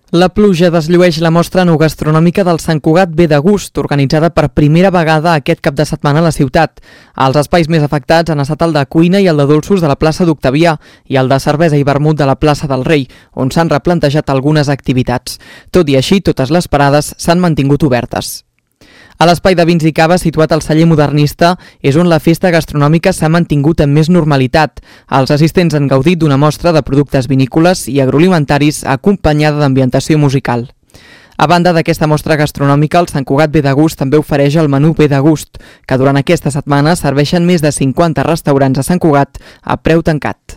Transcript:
La pluja desllueix la mostra enogastronòmica del Sant Cugat Ve de Gust, organitzada per primera vegada aquest cap de setmana a la ciutat. Els espais més afectats han estat el de cuina i el de dolços de la plaça d'Octavià i el de cervesa i vermut de la plaça del Rei, on s'han replantejat algunes activitats. Tot i així, totes les parades s'han mantingut obertes. A l'espai de vins i cava situat al celler modernista és on la festa gastronòmica s'ha mantingut amb més normalitat. Els assistents han gaudit d'una mostra de productes vinícoles i agroalimentaris acompanyada d'ambientació musical. A banda d'aquesta mostra gastronòmica, el Sant Cugat Ve de Gust també ofereix el menú Ve de Gust, que durant aquesta setmana serveixen més de 50 restaurants a Sant Cugat a preu tancat.